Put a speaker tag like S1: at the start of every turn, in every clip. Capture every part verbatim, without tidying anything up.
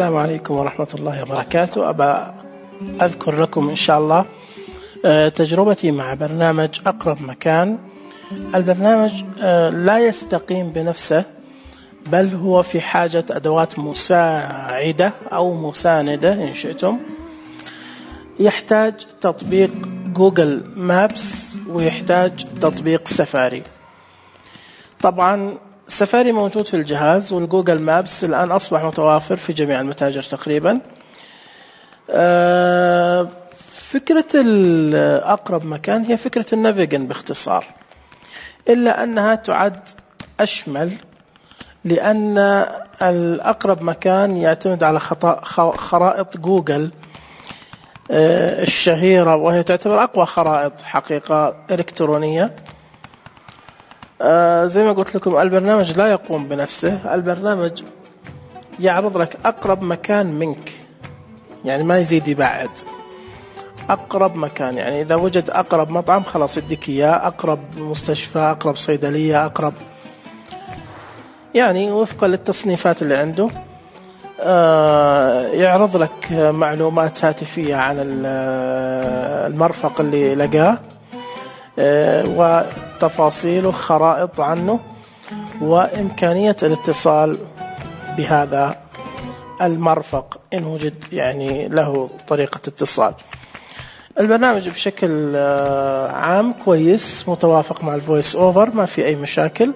S1: السلام عليكم ورحمة الله وبركاته. أبا أذكر لكم إن شاء الله تجربتي مع برنامج أقرب مكان. البرنامج لا يستقيم بنفسه، بل هو في حاجة أدوات مساعدة أو مساندة إن شئتم. يحتاج تطبيق جوجل مابس ويحتاج تطبيق سفاري. طبعا سفاري موجود في الجهاز، والجوجل مابس الآن أصبح متوافر في جميع المتاجر تقريبا. فكرة الأقرب مكان هي فكرة النافيجن باختصار، إلا أنها تعد أشمل، لأن الأقرب مكان يعتمد على خرائط جوجل الشهيرة، وهي تعتبر أقوى خرائط حقيقة إلكترونية. زي ما قلت لكم البرنامج لا يقوم بنفسه، البرنامج يعرض لك أقرب مكان منك، يعني ما يزيد يبعد. أقرب مكان يعني إذا وجد أقرب مطعم خلاص يديك إياه، أقرب مستشفى، أقرب صيدلية، أقرب يعني وفقا للتصنيفات اللي عنده. يعرض لك معلومات هاتفية عن المرفق اللي لقاه، وتفاصيله، خرائط عنه، وإمكانية الاتصال بهذا المرفق إن وجد يعني له طريقة اتصال. البرنامج بشكل عام كويس، متوافق مع الفويس أوفر، ما في أي مشاكل.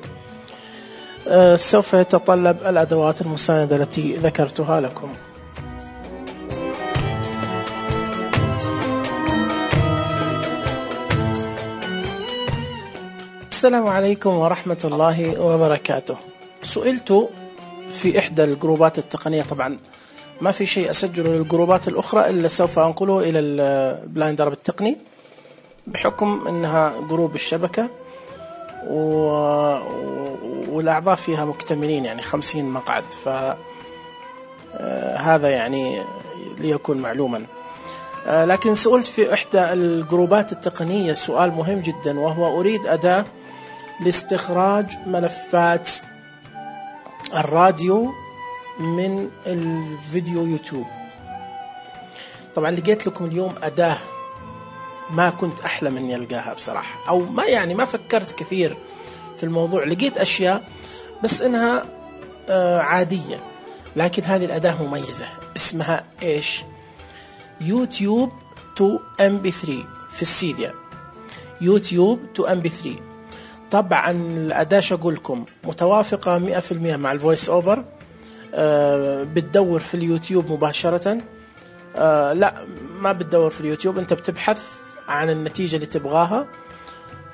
S1: سوف يتطلب الأدوات المساندة التي ذكرتها لكم. السلام عليكم ورحمة الله وبركاته. سئلت في إحدى الجروبات التقنية، طبعا ما في شيء أسجله للجروبات الأخرى إلا سوف أنقله إلى البلايند عرب التقني، بحكم أنها جروب الشبكة و... والأعضاء فيها مكتملين، يعني خمسين مقعد، فهذا يعني ليكون معلوما. لكن سئلت في إحدى الجروبات التقنية سؤال مهم جدا، وهو أريد أداة لاستخراج ملفات الراديو من الفيديو يوتيوب. طبعا لقيت لكم اليوم أداة ما كنت أحلم أني ألقاها بصراحة، أو ما يعني ما فكرت كثير في الموضوع. لقيت أشياء بس إنها آه عادية، لكن هذه الأداة مميزة. اسمها إيش؟ يوتيوب تو إم بي ثري في السيديا. يوتيوب تو إم بي ثري. طبعا الأداة شقولكم متوافقة مئة في المئة مع الفويس أوفر. آه بتدور في اليوتيوب مباشرة. آه لا ما بتدور في اليوتيوب، أنت بتبحث عن النتيجة اللي تبغاها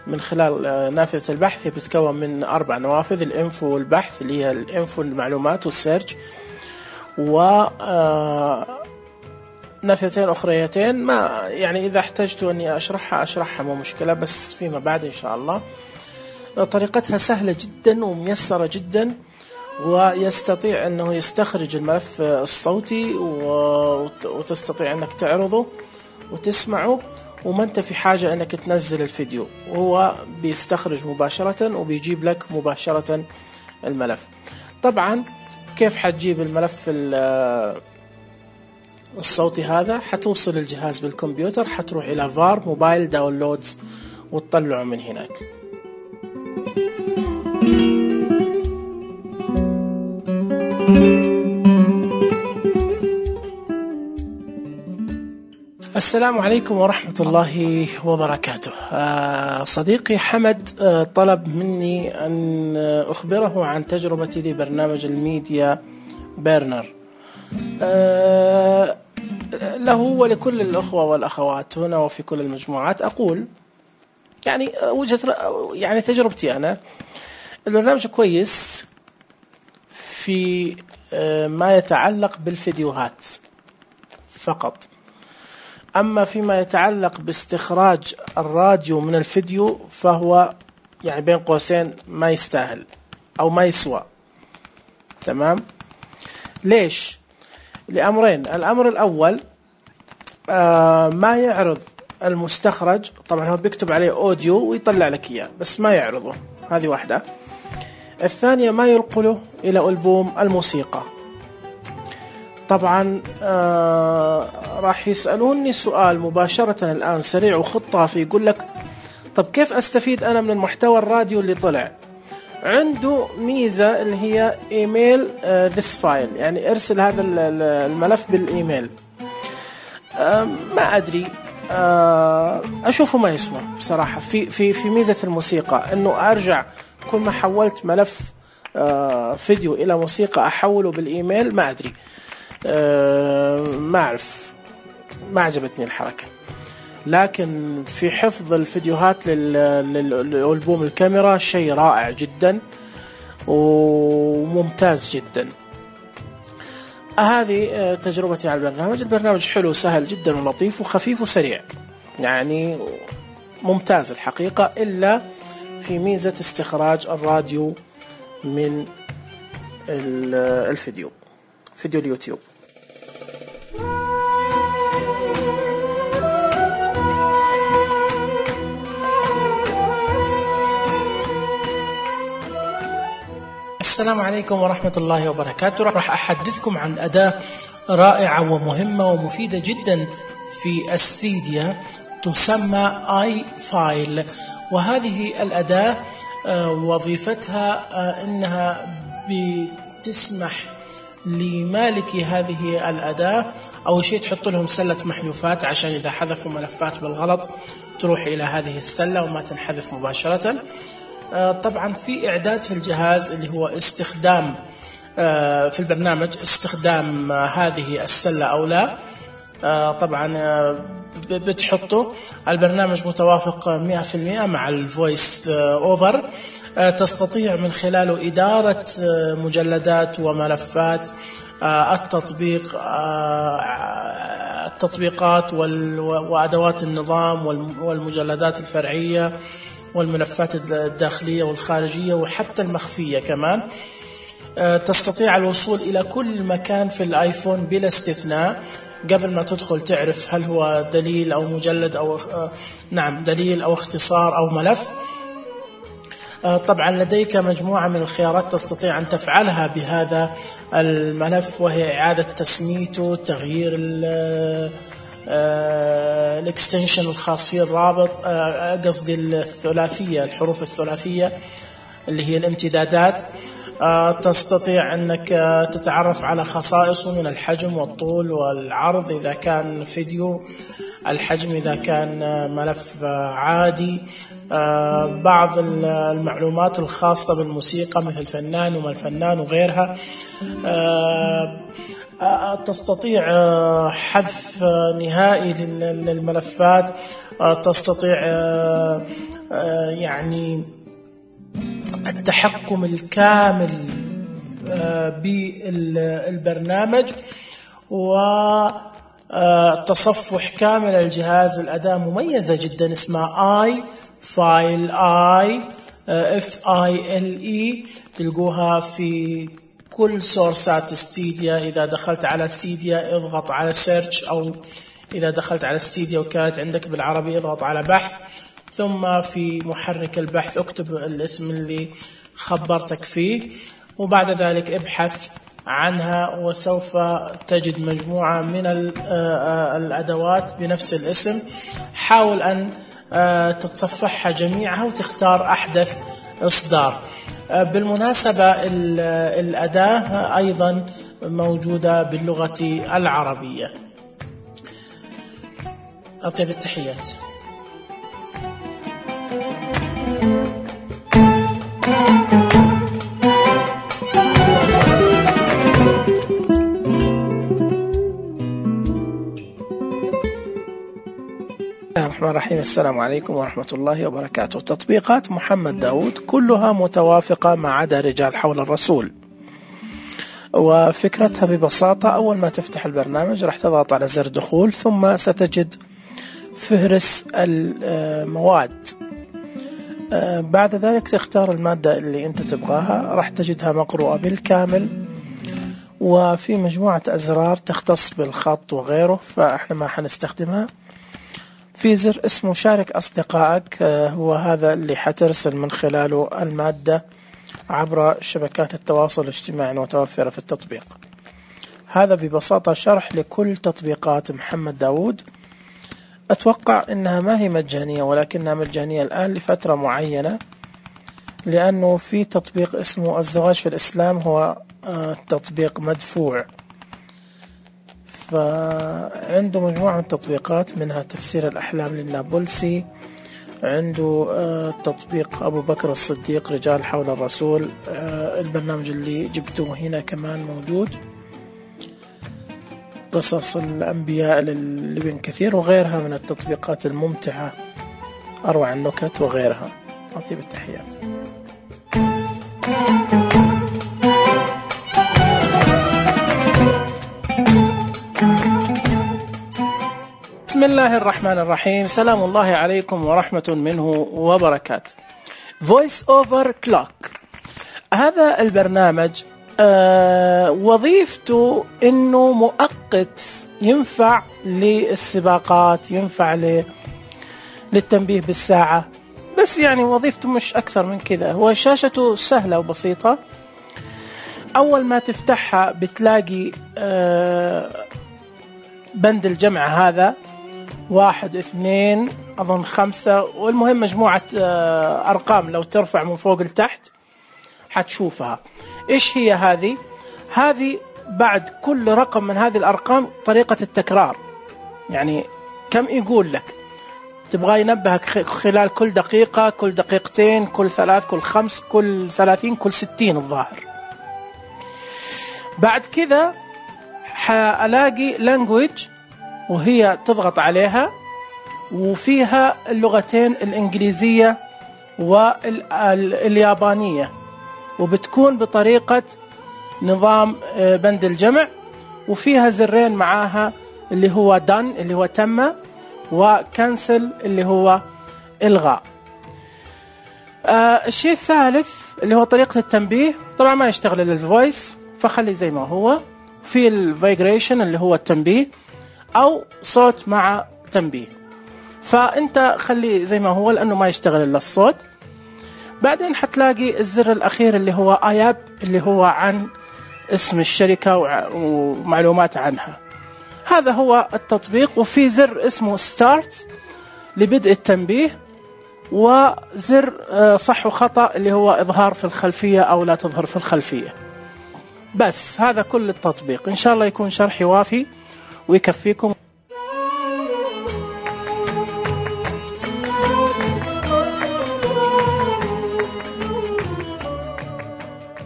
S1: من خلال آه نافذة البحث. هي بتتكون من أربع نوافذ: الإنفو والبحث، اللي هي الإنفو المعلومات والسيرش، و آه نافذتين أخريتين ما يعني إذا احتجت أني أشرحها أشرحها مو مشكلة، بس فيما بعد إن شاء الله. طريقتها سهلة جدا وميسرة جدا، ويستطيع أنه يستخرج الملف الصوتي وتستطيع أنك تعرضه وتسمعه، وما أنت في حاجة أنك تنزل الفيديو، وهو بيستخرج مباشرة وبيجيب لك مباشرة الملف. طبعا كيف حتجيب الملف الصوتي هذا؟ حتوصل الجهاز بالكمبيوتر، حتروح إلى فار موبايل داونلودز وتطلعه من هناك. السلام عليكم ورحمة الله وبركاته. آه صديقي حمد آه طلب مني أن أخبره عن تجربتي لبرنامج الميديا بيرنر. آه له ولكل الأخوة والأخوات هنا وفي كل المجموعات أقول يعني وجهة يعني تجربتي أنا. البرنامج كويس في آه ما يتعلق بالفيديوهات فقط، أما فيما يتعلق باستخراج الراديو من الفيديو فهو يعني بين قوسين ما يستاهل أو ما يسوى. تمام؟ ليش؟ لأمرين. الأمر الأول آه ما يعرض المستخرج. طبعا هو بيكتب عليه أوديو ويطلع لك إياه بس ما يعرضه، هذه واحدة. الثانية ما ينقله إلى ألبوم الموسيقى. طبعا آه راح يسألوني سؤال مباشرة الآن سريع وخطافي، يقول لك طب كيف أستفيد أنا من المحتوى الراديو اللي طلع؟ عنده ميزة اللي هي إيميل آه this file، يعني ارسل هذا الملف بالإيميل. آه ما أدري، آه أشوفه ما يسوى بصراحة. في في في ميزة الموسيقى إنه أرجع كل ما حولت ملف آه فيديو إلى موسيقى أحوله بالإيميل، ما أدري، آه ما أعرف، ما عجبتني الحركة. لكن في حفظ الفيديوهات للألبوم الكاميرا شيء رائع جدا وممتاز جدا. هذه تجربتي على البرنامج. البرنامج حلو سهل جدا ولطيف وخفيف وسريع، يعني ممتاز الحقيقة، إلا في ميزة استخراج الراديو من الفيديو، فيديو اليوتيوب. السلام عليكم ورحمة الله وبركاته. راح أحدثكم عن أداة رائعة ومهمة ومفيدة جدا في السيديا تسمى آي فايل. وهذه الأداة وظيفتها أنها بتسمح لمالك هذه الأداة أول شيء تحط لهم سلة محذوفات، عشان إذا حذفوا ملفات بالغلط تروح إلى هذه السلة وما تنحذف مباشرة. طبعا في إعداد في الجهاز اللي هو استخدام في البرنامج استخدام هذه السلة أو لا. طبعا بتحطه. البرنامج متوافق مئة بالمئة مع الفويس أوفر، تستطيع من خلاله إدارة مجلدات وملفات التطبيق التطبيقات وأدوات النظام والمجلدات الفرعية والملفات الداخلية والخارجية وحتى المخفية كمان. تستطيع الوصول إلى كل مكان في الآيفون بلا استثناء. قبل ما تدخل تعرف هل هو دليل أو مجلد أو نعم دليل أو اختصار أو ملف. طبعا لديك مجموعة من الخيارات تستطيع أن تفعلها بهذا الملف، وهي إعادة تسميته، تغيير الاكستنشن الخاص فيه، الرابط قصدي الثلاثية، الحروف الثلاثية اللي هي الامتدادات. تستطيع أنك تتعرف على خصائصه من الحجم والطول والعرض إذا كان فيديو، الحجم إذا كان ملف عادي، بعض المعلومات الخاصة بالموسيقى مثل فنان وما الفنان وغيرها. تستطيع حذف نهائي للملفات، تستطيع يعني التحكم الكامل بالبرنامج وتصفح كامل الجهاز. الأداة مميزة جدا اسمها آي فايل، آي اف اي ال اي، تلقوها في كل سورسات السيديا. إذا دخلت على السيديا اضغط على سيرش، أو إذا دخلت على السيديا وكانت عندك بالعربي اضغط على بحث، ثم في محرك البحث اكتب الاسم اللي خبرتك فيه، وبعد ذلك ابحث عنها وسوف تجد مجموعة من الأدوات بنفس الاسم. حاول أن تتصفحها جميعها وتختار أحدث إصدار. بالمناسبة الأداة أيضا موجودة باللغة العربية. أطيب التحيات. الرحمن الرحيم. السلام عليكم ورحمة الله وبركاته. تطبيقات محمد داود كلها متوافقة ما عدا رجال حول الرسول. وفكرتها ببساطة، أول ما تفتح البرنامج راح تضغط على زر دخول، ثم ستجد فهرس المواد. بعد ذلك تختار المادة اللي أنت تبغاها، راح تجدها مقروءة بالكامل، وفي مجموعة أزرار تختص بالخط وغيره فإحنا ما حنستخدمها. في زر اسمه شارك أصدقائك، هو هذا اللي حترسل من خلاله المادة عبر شبكات التواصل الاجتماعي المتوفرة في التطبيق. هذا ببساطة شرح لكل تطبيقات محمد داود. أتوقع أنها ما هي مجانية، ولكنها مجانية الآن لفترة معينة، لأنه في تطبيق اسمه الزواج في الإسلام، هو تطبيق مدفوع، فعنده مجموعة من التطبيقات منها تفسير الأحلام للنابلسي، عنده تطبيق أبو بكر الصديق رجال حول الرسول، البرنامج اللي جبته هنا كمان موجود، قصص الأنبياء لابن كثير، وغيرها من التطبيقات الممتعة، أروع النكت وغيرها. أطيب التحيات. بسم الله الرحمن الرحيم. سلام الله عليكم ورحمة منه وبركاته. Voice over Clock، هذا البرنامج آه وظيفته انه مؤقت، ينفع للسباقات، ينفع للتنبيه بالساعة، بس يعني وظيفته مش اكثر من كذا. هو شاشته سهلة وبسيطة، اول ما تفتحها بتلاقي آه بند الجمع هذا واحد اثنين اظن خمسة، والمهم مجموعة آه ارقام، لو ترفع من فوق لتحت حتشوفها. ايش هي هذه؟ هذه بعد كل رقم من هذه الارقام طريقة التكرار، يعني كم يقول لك، تبغى ينبهك خلال كل دقيقة، كل دقيقتين، كل ثلاث، كل خمس، كل ثلاثين، كل ستين الظاهر. بعد كذا حالاقي language، وهي تضغط عليها وفيها اللغتين الإنجليزية واليابانية، وبتكون بطريقة نظام بند الجمع، وفيها زرين معاها اللي هو done اللي هو تم، وكنسل اللي هو إلغاء. آه الشيء الثالث اللي هو طريقة التنبيه، طبعا ما يشتغل للفويس فخلي زي ما هو، في الفايبريشن اللي هو التنبيه أو صوت مع تنبيه، فأنت خلي زي ما هو لأنه ما يشتغل إلا الصوت. بعدين حتلاقي الزر الأخير اللي هو آياب، اللي هو عن اسم الشركة ومعلومات عنها. هذا هو التطبيق، وفي زر اسمه ستارت لبدء التنبيه، وزر صح وخطأ اللي هو إظهار في الخلفية أو لا تظهر في الخلفية. بس هذا كل التطبيق. إن شاء الله يكون شرحي وافي ويكفيكم.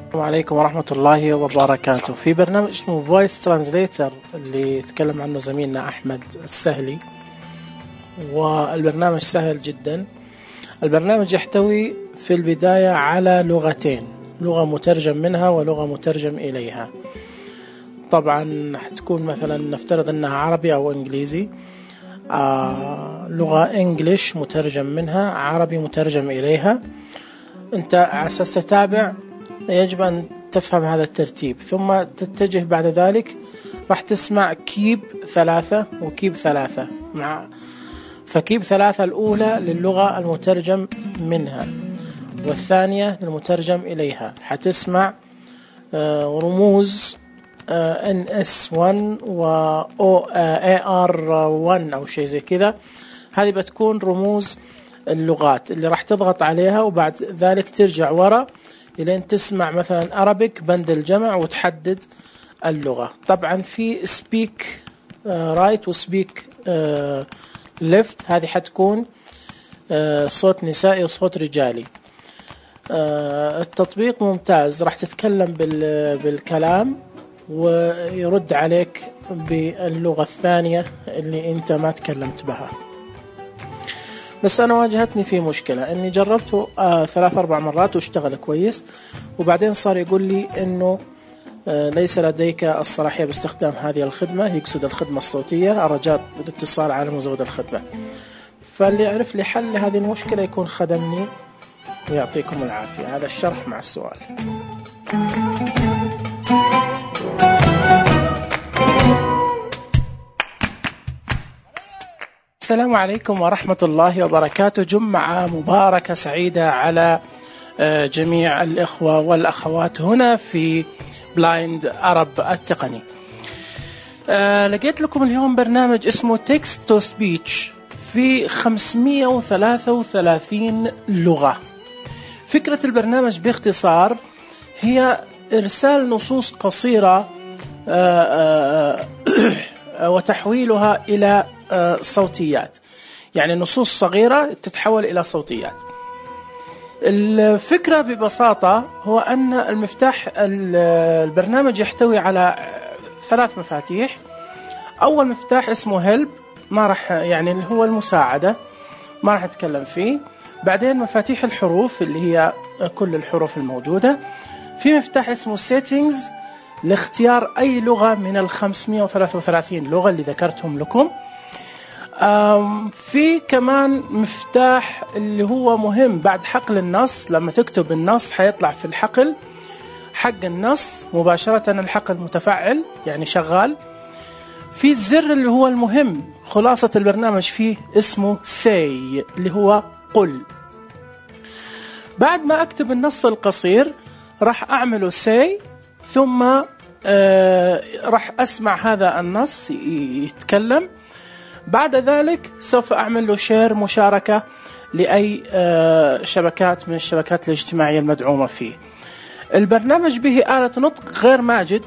S1: السلام عليكم ورحمة الله وبركاته. في برنامج اسمه Voice Translator اللي يتكلم عنه زميلنا أحمد السهلي، والبرنامج سهل جدا. البرنامج يحتوي في البداية على لغتين، لغة مترجم منها ولغة مترجم إليها. طبعا حتكون مثلا نفترض أنها عربي أو إنجليزي، آه لغة إنجليش مترجم منها، عربي مترجم إليها. أنت على أساس تتابع يجب أن تفهم هذا الترتيب، ثم تتجه بعد ذلك راح تسمع كيب ثلاثة وكيب ثلاثة مع فكيب ثلاثة الأولى للغة المترجم منها، والثانية للمترجم إليها. حتسمع رموز إن إس واحد و إيه آر واحد أو شيء زي كذا، هذه بتكون رموز اللغات اللي راح تضغط عليها، وبعد ذلك ترجع ورا إلين تسمع مثلا أرابيك بند الجمع وتحدد اللغة. طبعا في سبيك رايت وسبيك ليفت، هذه حتكون صوت نسائي وصوت رجالي. التطبيق ممتاز، راح تتكلم بالكلام ويرد عليك باللغة الثانية اللي انت ما تكلمت بها. بس أنا واجهتني في مشكلة، أني جربته آه ثلاث أربع مرات واشتغل كويس، وبعدين صار يقول لي أنه آه ليس لديك الصلاحية باستخدام هذه الخدمة، يقصد الخدمة الصوتية، الرجاء الاتصال على مزود الخدمة. فاللي يعرف لي حل لهذه المشكلة يكون خدمني، ويعطيكم العافية. هذا الشرح مع السؤال. السلام عليكم ورحمة الله وبركاته. جمعة مباركة سعيدة على جميع الإخوة والأخوات هنا في بلايند أرب التقني. آه لقيت لكم اليوم برنامج اسمه Text to Speech في خمسمئة وثلاثة وثلاثين لغة. فكرة البرنامج باختصار هي إرسال نصوص قصيرة آه آه وتحويلها إلى آه صوتيات، يعني نصوص صغيرة تتحول إلى صوتيات. الفكرة ببساطة هو أن المفتاح البرنامج يحتوي على ثلاث مفاتيح. أول مفتاح اسمه help، ما راح يعني اللي هو المساعدة، ما راح أتكلم فيه. بعدين مفاتيح الحروف اللي هي كل الحروف الموجودة. في مفتاح اسمه settings لاختيار أي لغة من ال خمسمئة وثلاثة وثلاثين لغة اللي ذكرتهم لكم. في كمان مفتاح اللي هو مهم بعد حقل النص، لما تكتب النص حيطلع في الحقل حق النص مباشرة الحقل متفعل يعني شغال. في الزر اللي هو المهم خلاصة البرنامج فيه اسمه say اللي هو قل. بعد ما أكتب النص القصير راح أعمله say، ثم آه راح أسمع هذا النص يتكلم. بعد ذلك سوف أعمل له شير مشاركة لأي آه شبكات من الشبكات الاجتماعية المدعومة فيه. البرنامج به آلة نطق غير ماجد،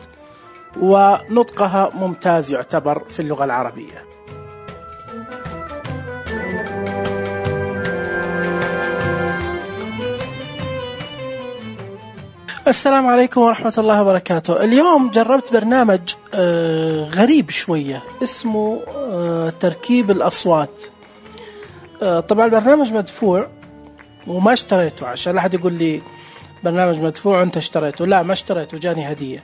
S1: ونطقها ممتاز يعتبر في اللغة العربية. السلام عليكم ورحمة الله وبركاته. اليوم جربت برنامج آه غريب شوية اسمه آه تركيب الأصوات. آه طبعا البرنامج مدفوع وما اشتريته، عشان لا أحد يقول لي برنامج مدفوع وانت اشتريته. لا، ما اشتريته، جاني هدية.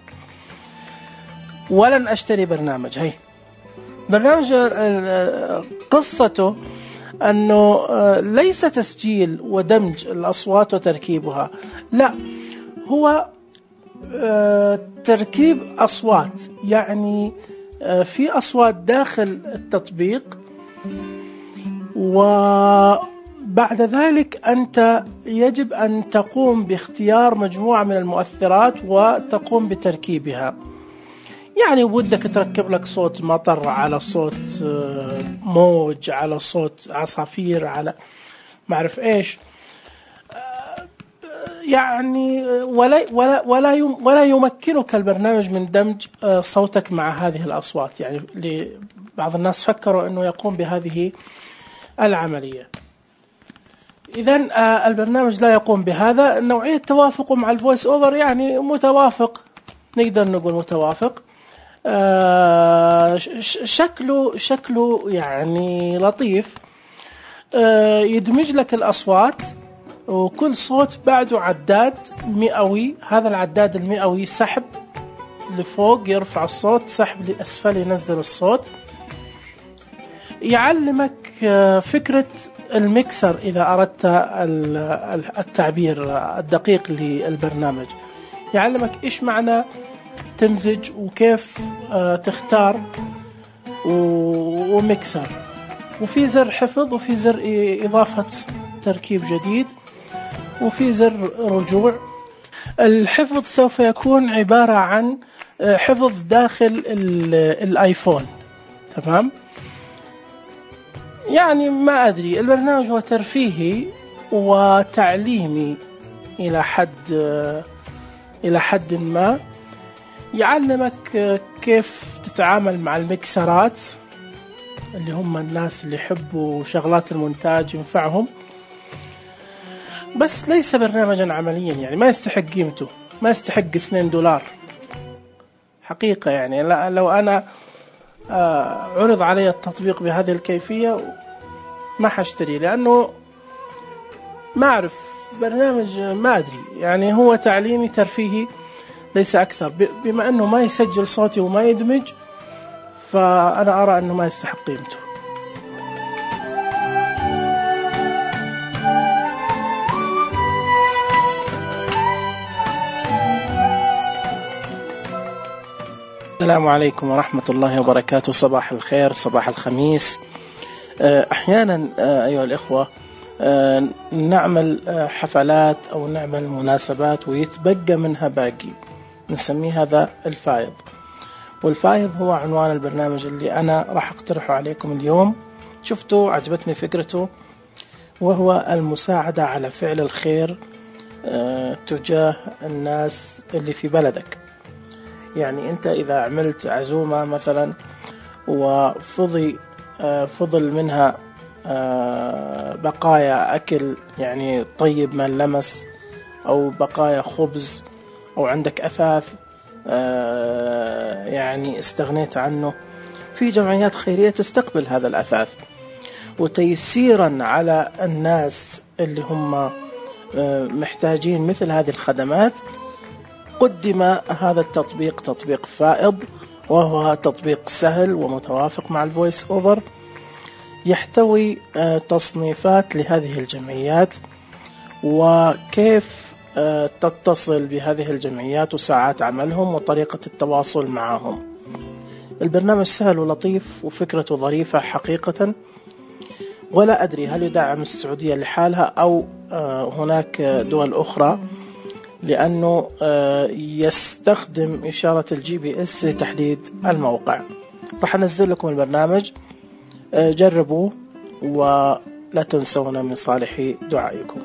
S1: ولن اشتري برنامج. هي برنامج قصته انه ليس تسجيل ودمج الاصوات وتركيبها، لا، هو تركيب اصوات. يعني في اصوات داخل التطبيق، وبعد ذلك أنت يجب أن تقوم باختيار مجموعة من المؤثرات وتقوم بتركيبها. يعني ودك تركب لك صوت مطر على صوت موج على صوت عصافير على ما أعرف إيش، يعني ولا ولا ولا ولا يمكنك البرنامج من دمج صوتك مع هذه الأصوات. يعني بعض الناس فكروا أنه يقوم بهذه العملية. إذن البرنامج لا يقوم بهذا. نوعية توافقه مع الفويس أوفر يعني متوافق، نقدر نقول متوافق. شكله شكله يعني لطيف. يدمج لك الأصوات، وكل صوت بعده عداد مئوي. هذا العداد المئوي سحب لفوق يرفع الصوت، سحب لأسفل ينزل الصوت. يعلمك فكرة الميكسر إذا أردت التعبير الدقيق للبرنامج. يعلمك إيش معنى تمزج وكيف تختار وميكسر. وفي زر حفظ، وفي زر إضافة تركيب جديد، وفي زر رجوع. الحفظ سوف يكون عبارة عن حفظ داخل الآيفون، تمام؟ يعني ما أدري، البرنامج هو ترفيهي وتعليمي إلى حد إلى حد ما. يعلمك كيف تتعامل مع المكسرات اللي هم الناس اللي يحبوا شغلات المونتاج ينفعهم، بس ليس برنامجا عمليا. يعني ما يستحق قيمته، ما يستحق اثنين دولار حقيقة. يعني لو أنا عرض علي التطبيق بهذه الكيفية ما حاشتري، لأنه ما أعرف برنامج، ما أدري، يعني هو تعليمي ترفيهي ليس أكثر. بما أنه ما يسجل صوتي وما يدمج، فأنا أرى أنه ما يستحق قيمته. السلام عليكم ورحمة الله وبركاته. صباح الخير، صباح الخميس. أحيانا أيها الإخوة نعمل حفلات أو نعمل مناسبات ويتبقى منها باقي، نسميه هذا الفائض. والفائض هو عنوان البرنامج اللي أنا راح أقترحه عليكم اليوم. شفتوا عجبتني فكرته، وهو المساعدة على فعل الخير تجاه الناس اللي في بلدك. يعني أنت إذا عملت عزومة مثلا وفضي فضل منها بقايا أكل يعني طيب ما لمس، أو بقايا خبز، أو عندك أثاث يعني استغنيت عنه، في جمعيات خيرية تستقبل هذا الأثاث. وتيسيرا على الناس اللي هم محتاجين مثل هذه الخدمات، قدم هذا التطبيق، تطبيق فائض، وهو تطبيق سهل ومتوافق مع الفويس أوفر، يحتوي تصنيفات لهذه الجمعيات وكيف تتصل بهذه الجمعيات وساعات عملهم وطريقة التواصل معهم. البرنامج سهل ولطيف وفكرته ظريفة حقيقة، ولا أدري هل يدعم السعودية لحالها أو هناك دول أخرى، لأنه يستخدم إشارة الجي بي إس لتحديد الموقع. راح أنزل لكم البرنامج، جربوه ولا تنسونا من صالح دعائكم.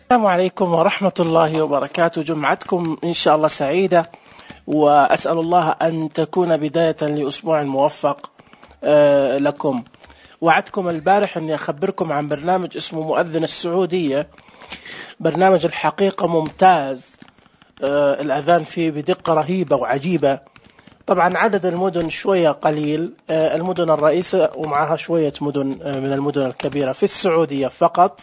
S1: السلام عليكم ورحمة الله وبركاته. جمعتكم إن شاء الله سعيدة، وأسأل الله أن تكون بداية لأسبوع موفق لكم. وعدتكم البارح أني أخبركم عن برنامج اسمه مؤذن السعودية. برنامج الحقيقة ممتاز، الأذان فيه بدقة رهيبة وعجيبة. طبعا عدد المدن شوية قليل، المدن الرئيسة ومعها شوية مدن من المدن الكبيرة في السعودية فقط.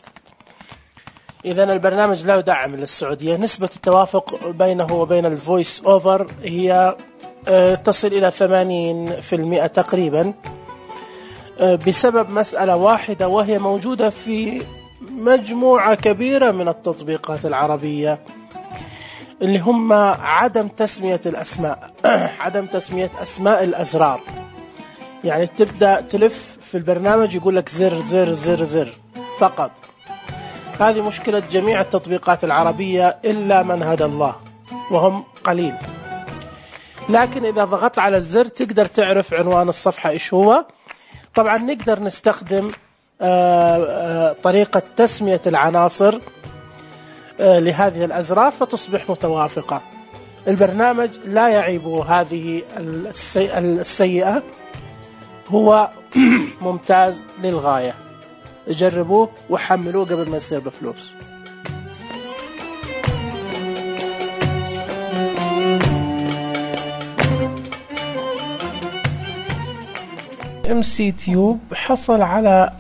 S1: إذن البرنامج لا يدعم للسعودية. نسبة التوافق بينه وبين الفويس أوفر هي تصل إلى ثمانين بالمئة تقريبا، بسبب مسألة واحدة، وهي موجودة في مجموعة كبيرة من التطبيقات العربية، اللي هم عدم تسمية الأسماء عدم تسمية أسماء الأزرار. يعني تبدأ تلف في البرنامج يقول لك زر زر زر زر فقط. هذه مشكلة جميع التطبيقات العربية إلا من هدى الله، وهم قليل. لكن إذا ضغطت على الزر تقدر تعرف عنوان الصفحة إيش هو. طبعا نقدر نستخدم طريقة تسمية العناصر لهذه الأزرار فتصبح متوافقة. البرنامج لا يعيب هذه السيئة، هو ممتاز للغاية. جربوه وحملوه قبل ما يصير بفلوس. إم سي تيوب حصل على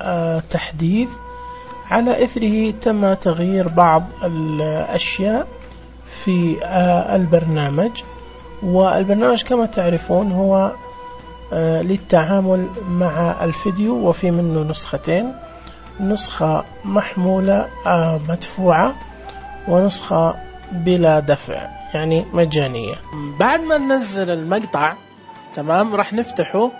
S1: تحديث، على إثره تم تغيير بعض الأشياء في البرنامج. والبرنامج كما تعرفون هو للتعامل مع الفيديو، وفي منه نسختين، نسخة محمولة مدفوعة ونسخة بلا دفع يعني مجانية. بعد ما ننزل المقطع تمام راح نفتحه.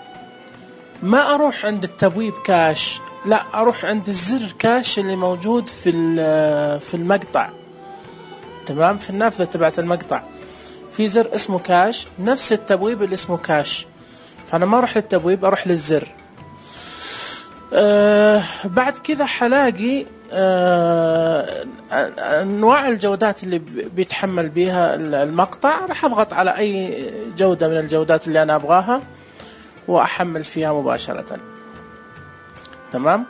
S1: ما أروح عند التبويب كاش، لا أروح عند الزر كاش اللي موجود في في المقطع. تمام، في النافذة تبعت المقطع في زر اسمه كاش، نفس التبويب اللي اسمه كاش. فأنا ما أروح للتبويب، أروح للزر. أه بعد كذا حلاقي أه أنواع الجودات اللي بيتحمل بيها المقطع. راح أضغط على أي جودة من الجودات اللي أنا أبغاها وأحمل فيها مباشرة. تمام.